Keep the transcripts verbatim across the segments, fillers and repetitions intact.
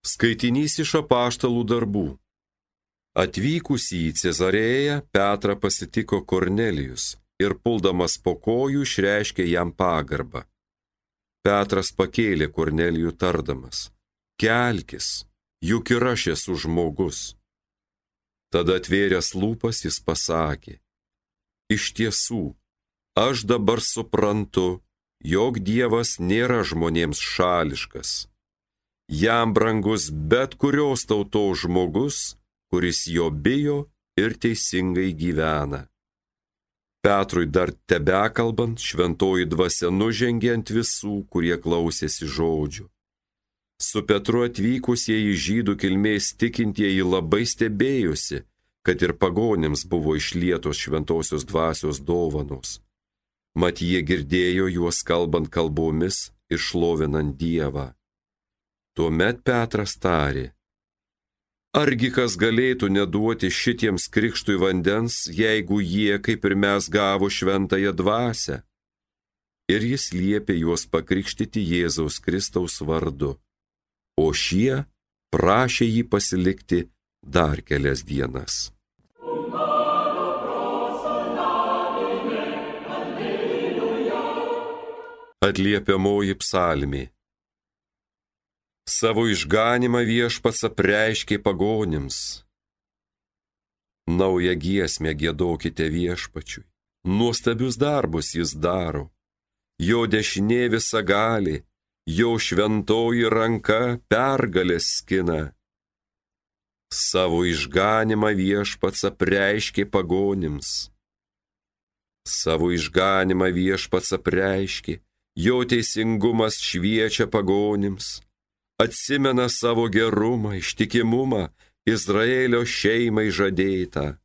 Skaitinys iš apaštalų darbų. Atvykusį į Cezarėją, Petrą pasitiko Kornelijus ir puldamas po kojų išreiškė jam pagarbą. Petras pakėlė Kornelijų tardamas: kelkis, juk ir aš esu žmogus. Tada atvėręs lūpas jis pasakė: iš tiesų, aš dabar suprantu, jog Dievas nėra žmonėms šališkas. Jam brangus bet kurios tautos žmogus, kuris jo bijo ir teisingai gyvena. Petrui dar tebekalbant, šventoji dvasia nužengė ant visų, kurie klausėsi žodžių. Su Petru atvykusieji žydų kilmės tikintieji labai stebėjosi, kad ir pagonims buvo išlietos šventosios dvasios dovanos. Mat jie girdėjo juos kalbant kalbomis ir šlovinant Dievą. Tuomet Petras tarė: argi kas galėtų neduoti šitiems krikštui vandens, jeigu jie, kaip ir mes, gavo šventąją dvasią? Ir jis liepė juos pakrikštyti Jėzaus Kristaus vardu, o šie prašė jį pasilikti dar kelias dienas. Atliepiamoji psalmė. Savo išganimą viešpats apreiškė pagonims. Naują giesmę giedokite viešpačiui, nuostabius darbus jis daro. Jo dešinė visagali, jo šventoji ranka pergalės skina. Savo išganimą viešpats apreiškė pagonims. Savo išganimą viešpats apreiškė, jo teisingumas šviečia pagonims. Atsimena savo gerumą, ištikimumą, Izraelio šeimai žadėtą.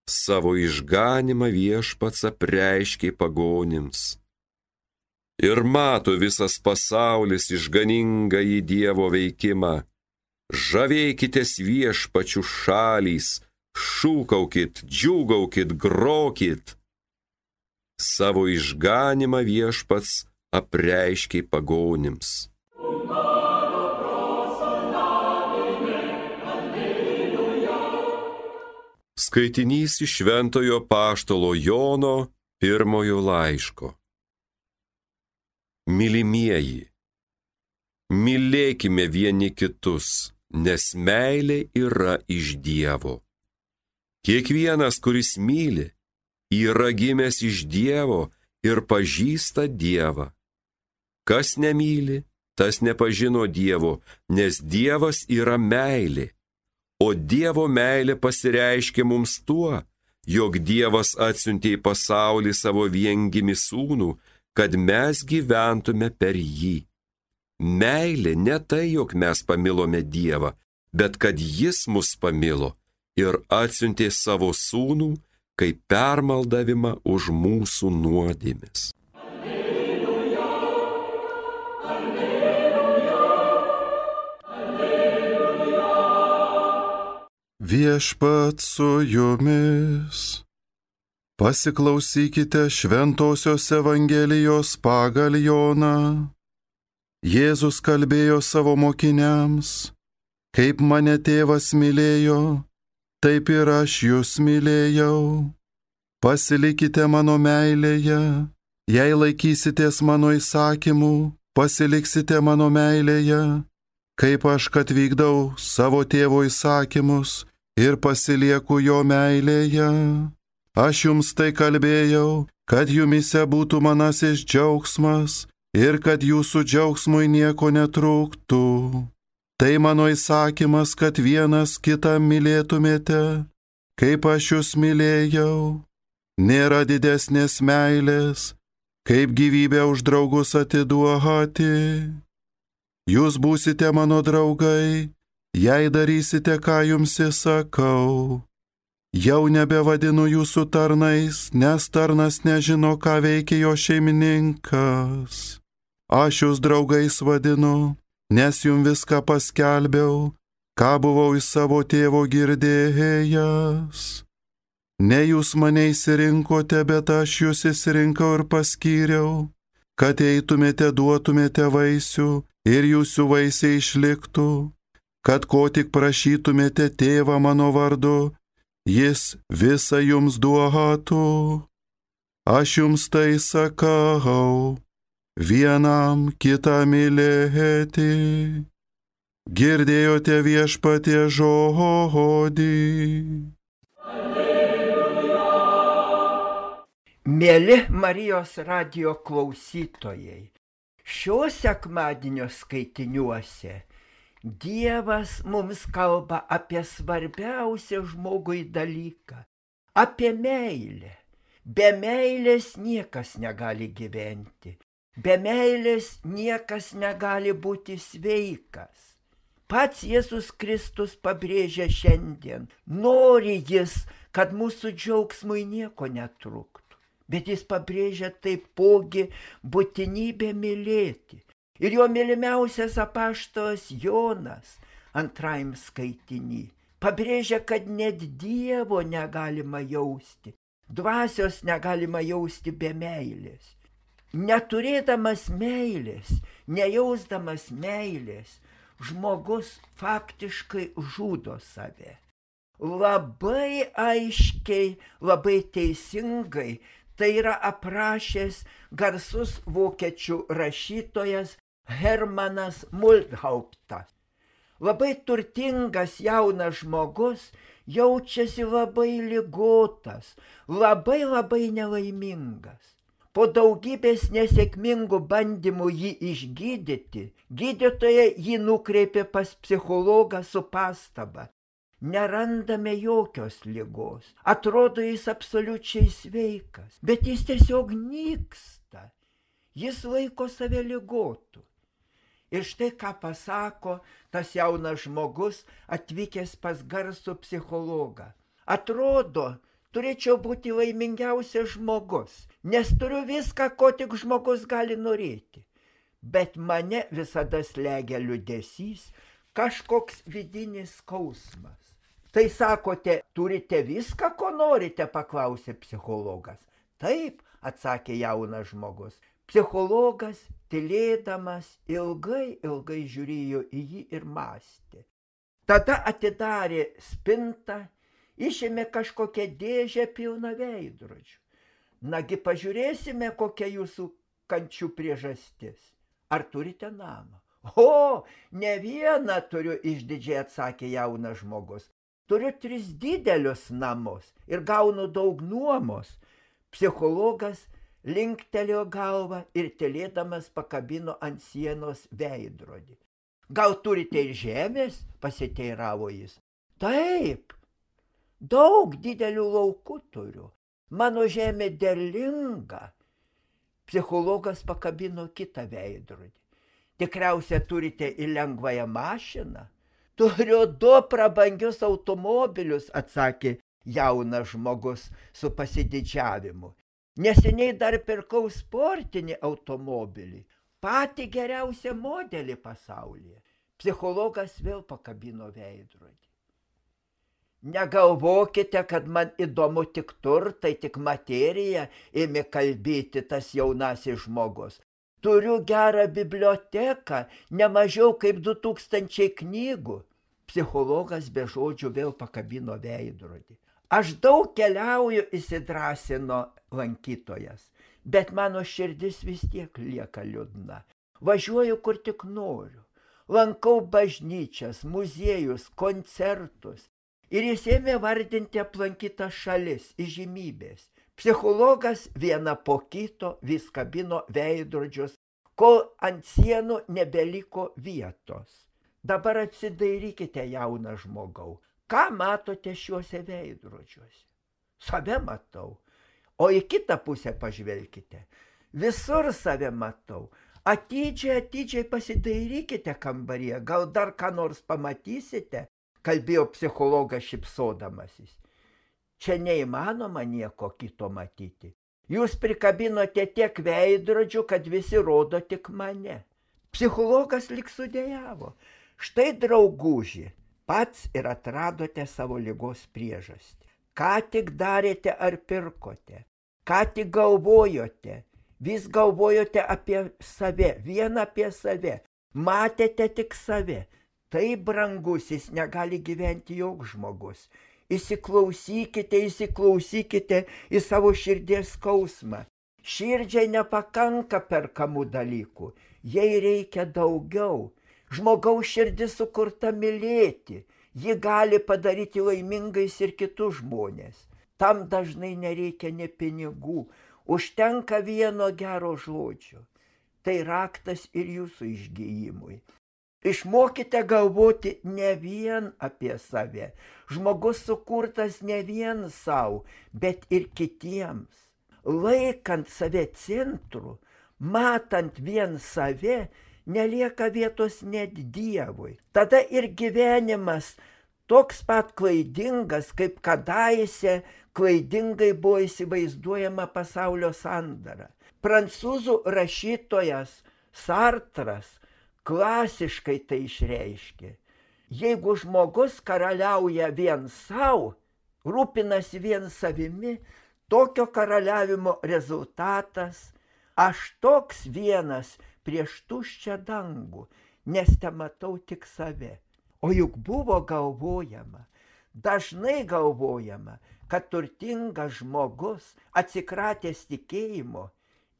Savo išganimą viešpats apreiškė pagonims. Ir mato visas pasaulis išganingąjį Dievo veikimą. Žavėkitės viešpačių šalys, šūkaukit, džiūgaukit, grokit. Savo išganimą viešpats apreiškė pagonims. Skaitinys iš šventojo apaštalo Jono pirmojo laiško. Mylimieji, mylėkime vieni kitus, nes meilė yra iš Dievo. Kiekvienas, kuris myli, yra gimęs iš Dievo ir pažįsta Dievą. Kas nemyli, tas nepažino Dievo, nes Dievas yra meilė. O Dievo meilė pasireiškė mums tuo, jog Dievas atsiuntė į pasaulį savo viengimį sūnų, kad mes gyventume per jį. Meilė ne tai, jog mes pamilome Dievą, bet kad jis mus pamilo ir atsiuntė savo sūnų kaip permaldavimą už mūsų nuodėmes. Viešpat su jumis. Pasiklausykite šventosios Evangelijos pagal Joną. Jėzus kalbėjo savo mokiniams: kaip mane tėvas mylėjo, taip ir aš jūs mylėjau. Pasilikite mano meilėje, jei laikysitės mano įsakymų, pasiliksite mano meilėje, kaip aš kad vykdau savo tėvo įsakymus ir pasilieku jo meilėje. Aš jums tai kalbėjau, kad jumise būtų manasis džiaugsmas ir kad jūsų džiaugsmui nieko netrūktų. Tai mano įsakymas, kad vienas kitą mylėtumėte, kaip aš jūs mylėjau. Nėra didesnės meilės, kaip gyvybę už draugus atiduoti. Jūs būsite mano draugai, jei darysite, ką jums įsakau. Jau nebevadinu jūsų tarnais, nes tarnas nežino, ką veikia jo šeimininkas. Aš jūs draugais vadinu, nes jums viską paskelbiau, ką buvau iš savo tėvo girdėjęs. Ne jūs mane išsirinkote, bet aš jūs išsirinkau ir paskyriau, kad eitumėte, duotumėte vaisių ir jūsų vaisiai išliktų, kad ko tik prašytumėte tėvą mano vardu, jis visą jums duotų. Aš jums tai sakau, vienam kitą mylėti. Girdėjote viešpatie žodį. Mieli Marijos radijo klausytojai, šio sekmadienio skaitiniuose Dievas mums kalba apie svarbiausią žmogui dalyką – apie meilę. Be meilės niekas negali gyventi, be meilės niekas negali būti sveikas. Pats Jėzus Kristus pabrėžia šiandien, nori jis, kad mūsų džiaugsmui nieko netruktų. Bet jis pabrėžia taipogi būtinybę mylėti. Ir jo mylimiausias apaštalas Jonas antrajam skaitiny pabrėžia, kad net Dievo negalima jausti, dvasios negalima jausti be meilės. Neturėdamas meilės, nejausdamas meilės, žmogus faktiškai žudo save. Labai aiškiai, labai teisingai tai yra aprašęs garsus vokiečių rašytojas Hermanas Multhauptas. Labai turtingas jaunas žmogus jaučiasi labai ligotas, labai labai nelaimingas. Po daugybės nesėkmingų bandymų jį išgydyti, gydytoja jį nukreipė pas psichologą su pastaba. Nerandame jokios ligos. Atrodo, jis absoliučiai sveikas, bet jis tiesiog nyksta. Jis laiko save ligotu. Ir štai ką pasako tas jaunas žmogus atvykęs pas garsų psichologą. Atrodo, turėčiau būti laimingiausias žmogus, nes turiu viską, ko tik žmogus gali norėti. Bet mane visada slegia liūdesys, kažkoks vidinis skausmas. Tai sakote, turite viską, ko norite, paklausė psichologas. Taip, atsakė jaunas žmogus. Psichologas, tylėdamas, ilgai, ilgai žiūrėjo į jį ir mąstė. Tada atidarė spintą, išėmė kažkokią dėžę pilną veidrodžių. Nagi pažiūrėsime, kokia jūsų kančių priežastis. Ar turite namą? O, ne vieną turiu, išdidžiai atsakė jaunas žmogus. Turiu tris didelius namus ir gaunu daug nuomos. Psichologas linktelėjo galvą ir tylėdamas pakabino ant sienos veidrodį. Gal turite ir žemės? Pasiteiravo jis. Taip, daug didelių laukų turiu. Mano žemė derlinga. Psichologas pakabino kitą veidrodį. Tikriausiai turite ir lengvąją mašiną? Turiu du prabangius automobilius, atsakė jaunas žmogus su pasididžiavimu. Neseniai dar pirkau sportinį automobilį, patį geriausią modelį pasaulyje. Psichologas vėl pakabino veidrodį. Negalvokite, kad man įdomu tik turtai, tik materija, ėmė kalbėti tas jaunasis žmogus. Turiu gerą biblioteką, ne mažiau kaip du tūkstančiai knygų. Psichologas be žodžių vėl pakabino veidrodį. Aš daug keliauju, įsidrąsino lankytojas, bet mano širdis vis tiek lieka liūdna. Važiuoju kur tik noriu. Lankau bažnyčias, muziejus, koncertus. Ir jis ėmė vardinti aplankytas šalis, įžymybės. Psichologas vieną po kito vis kabino veidrodžius, kol ant sienų nebeliko vietos. Dabar apsidairykite, jaunas žmogau. Ką matote šiuose veidrodžiuose? Save matau. O į kitą pusę pažvelkite. Visur save matau. Atidžiai, atidžiai pasidairykite kambaryje. Gal dar ką nors pamatysite? Kalbėjo psichologas šypsodamasis. Čia neįmanoma nieko kito matyti. Jūs prikabinote tiek veidrodžių, kad visi rodo tik mane. Psichologas lyg sudejavo. Štai, drauguži, pats ir atradote savo ligos priežastį. Ką tik darėte ar pirkote? Ką tik galvojote? Vis galvojote apie save, vien apie save. Matėte tik save. Tai brangusis negali gyventi joks žmogus. Įsiklausykite, įsiklausykite į savo širdies skausmą. Širdžiai nepakanka perkamų dalykų, jai reikia daugiau. Žmogaus širdis sukurta mylėti, ji gali padaryti laimingais ir kitus žmonės. Tam dažnai nereikia ne pinigų, užtenka vieno gero žodžio. Tai raktas ir jūsų išgijimui. Išmokite galvoti ne vien apie save. Žmogus sukurtas ne vien savo, bet ir kitiems. Laikant save centru, matant vien save, nelieka vietos net Dievui. Tada ir gyvenimas toks pat klaidingas, kaip kadaise klaidingai buvo įsivaizduojama pasaulio sandara. Prancūzų rašytojas Sartras klasiškai tai išreiškė. Jeigu žmogus karaliauja vien savo, rūpinasi vien savimi, tokio karaliavimo rezultatas – aš toks vienas prieš tuščią dangų, nes te matau tik save. O juk buvo galvojama, dažnai galvojama, kad turtingas žmogus atsikratęs tikėjimo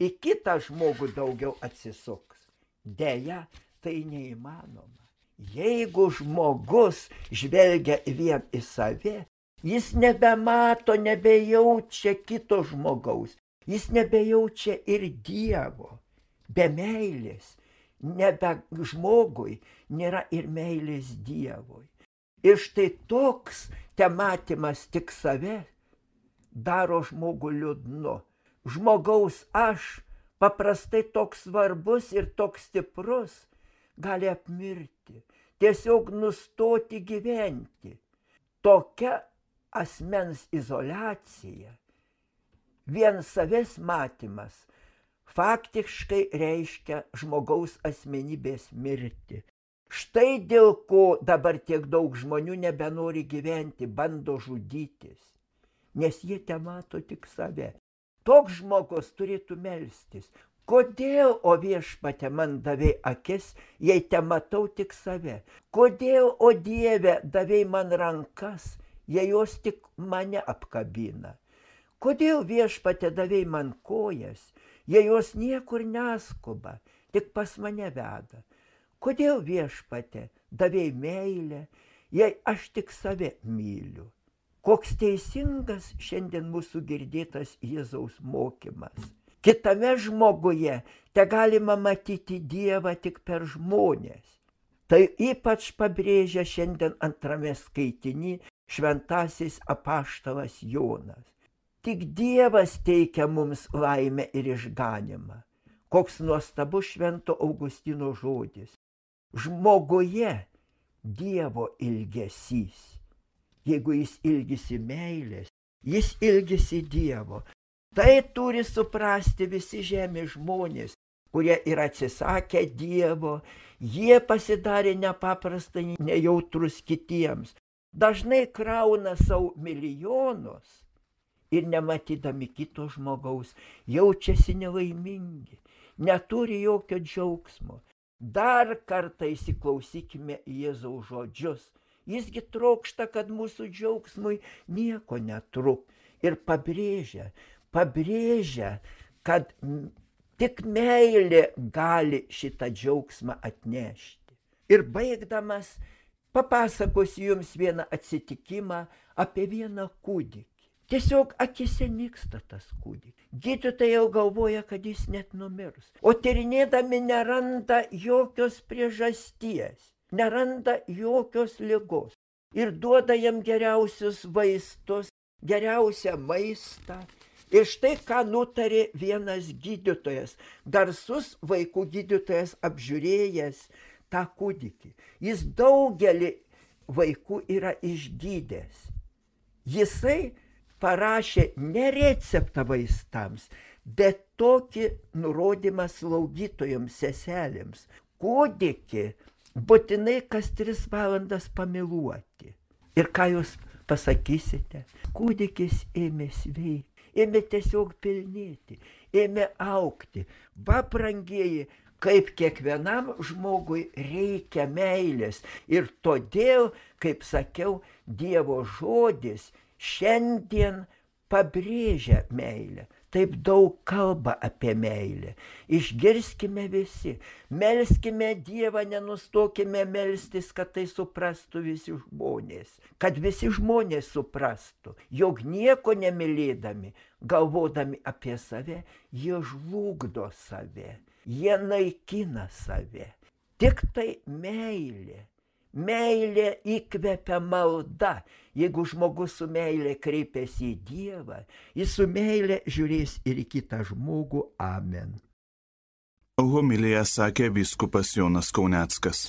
į kitą žmogų daugiau atsisuks. Deja, tai neįmanoma. Jeigu žmogus žvelgia vien į save, jis nebemato, nebejaučia kito žmogaus, jis nebejaučia ir Dievo. Be meilės, nebe žmogui, nėra ir meilės Dievui. Ir štai toks tematymas tik save daro žmogų liūdnu. Žmogaus aš, paprastai toks svarbus ir toks stiprus, gali apmirti, tiesiog nustoti gyventi. Tokia asmens izoliacija, vien savęs matymas, faktiškai reiškia žmogaus asmenybės mirtį. Štai dėl ko dabar tiek daug žmonių nebenori gyventi, bando žudytis, nes jie te mato tik save. Toks žmogus turėtų melstis. Kodėl, o Viešpatie, man davei akis, jei te matau tik save? Kodėl, o Dieve, davei man rankas, jei jos tik mane apkabina? Kodėl, Viešpatie, davei man kojas, jei jos niekur neskuba, tik pas mane veda? Kodėl, Viešpatie, davei meilę, jei aš tik save myliu? Koks teisingas šiandien mūsų girdėtas Jėzaus mokymas. Kitame žmoguje te galima matyti Dievą tik per žmonės. Tai ypač pabrėžia šiandien antrame skaitiny šventasis apaštalas Jonas. Tik Dievas teikia mums laimę ir išganimą. Koks nuostabus švento Augustino žodis. Žmoguje Dievo ilgesys. Jeigu jis ilgisi meilės, jis ilgisi Dievo. Tai turi suprasti visi žemės žmonės, kurie yra atsisakę Dievo, jie pasidarė nepaprastai nejautrus kitiems. Dažnai krauna savo milijonus ir nematydami kito žmogaus jaučiasi nelaimingi, neturi jokio džiaugsmo. Dar kartą įsiklausykime į Jėzaus žodžius. Jisgi trokšta, kad mūsų džiaugsmui nieko netrūk. Ir pabrėžia, pabrėžia, kad tik meilė gali šitą džiaugsmą atnešti. Ir baigdamas, papasakosiu jums vieną atsitikimą apie vieną kūdikį. Tiesiog akise nyksta tas kūdikis. Gydytojai jau galvoja, kad jis net numirs. O tyrinėdami neranda jokios priežasties, neranda jokios ligos. Ir duoda jam geriausius vaistus, geriausią maistą. Ir štai ką nutarė vienas gydytojas, garsus vaikų gydytojas apžiūrėjęs tą kūdikį. Jis daugelį vaikų yra išgydęs. Jisai parašė ne receptą vaistams, bet tokį nurodymą slaugytojams, seselėms. Kūdikį būtinai kas tris valandas pamiluoti. Ir ką jūs pasakysite? Kūdikis ėmė sveikti, ėmė tiesiog pilnėti, ėmė augti. Va, brangieji, kaip kiekvienam žmogui reikia meilės. Ir todėl, kaip sakiau, Dievo žodis šiandien pabrėžia meilę. Taip daug kalba apie meilę. Išgirskime visi, melskime Dievą, nenustokime melstis, kad tai suprastų visi žmonės. Kad visi žmonės suprastų, jog nieko nemylėdami, galvodami apie save, jie žlugdo save, jie naikina save. Tik tai meilė. Meilė įkvepia malda. Jeigu žmogus su meilė kreipiasi į Dievą, jis su meilė žiūrės ir į kitą žmogų. Amen. Homiliją sakė vyskupas Jonas Kauneckas.